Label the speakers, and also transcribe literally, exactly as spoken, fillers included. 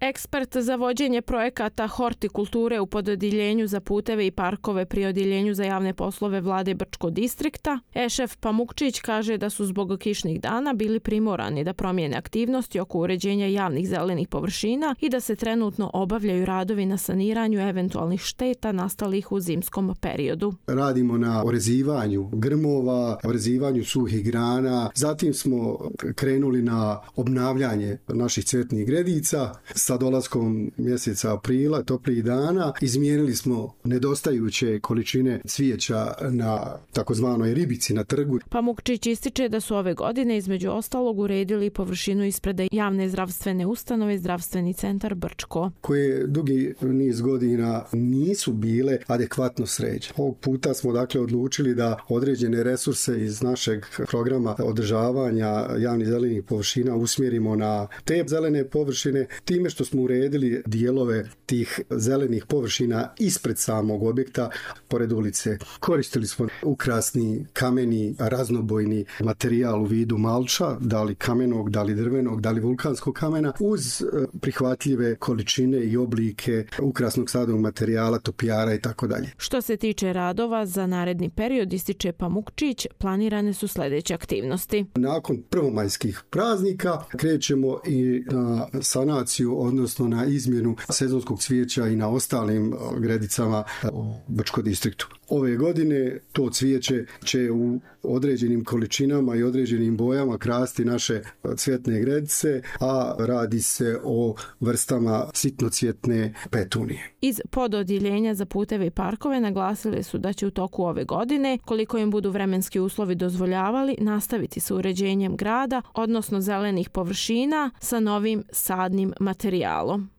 Speaker 1: Ekspert za vođenje projekata hortikulture u pododjeljenju za puteve i parkove pri odjeljenju za javne poslove vlade Brčko distrikta, Ešef Pamukčić kaže da su zbog kišnih dana bili primorani da promijene aktivnosti oko uređenja javnih zelenih površina i da se trenutno obavljaju radovi na saniranju eventualnih šteta nastalih u zimskom periodu.
Speaker 2: Radimo na orezivanju grmova, orezivanju suhih grana, zatim smo krenuli na obnavljanje naših cvjetnih gredica. Sa dolaskom mjeseca aprila, toplijih dana, izmijenili smo nedostajuće količine cvijeća na takozvanoj ribici na trgu.
Speaker 1: Pamukčić ističe da su ove godine između ostalog uredili površinu ispred javne zdravstvene ustanove Zdravstveni centar Brčko,
Speaker 2: koje dugi niz godina nisu bile adekvatno sređene. Ovog puta smo dakle odlučili da određene resurse iz našeg programa održavanja javnih zelenih površina usmjerimo na te zelene površine, time što smo uredili dijelove tih zelenih površina ispred samog objekta, pored ulice. Koristili smo ukrasni, kameni, raznobojni materijal u vidu malča, da li kamenog, da li drvenog, da li vulkanskog kamena, uz prihvatljive količine i oblike ukrasnog sadnog materijala, topijara i tako dalje.
Speaker 1: Što se tiče radova za naredni period, ističe Pamukčić, planirane su sljedeće aktivnosti.
Speaker 2: Nakon prvomajskih praznika krećemo i na sanaciju, odnosno na izmjenu sezonskog cvijeća i na ostalim gredicama u Brčko distriktu. Ove godine to cvijeće će u određenim količinama i određenim bojama krasti naše cvjetne gredice, a radi se o vrstama sitnocvjetne petunije.
Speaker 1: Iz pododjeljenja za puteve i parkove naglasili su da će u toku ove godine, koliko im budu vremenski uslovi dozvoljavali, nastaviti sa uređenjem grada, odnosno zelenih površina sa novim sadnim materijalom.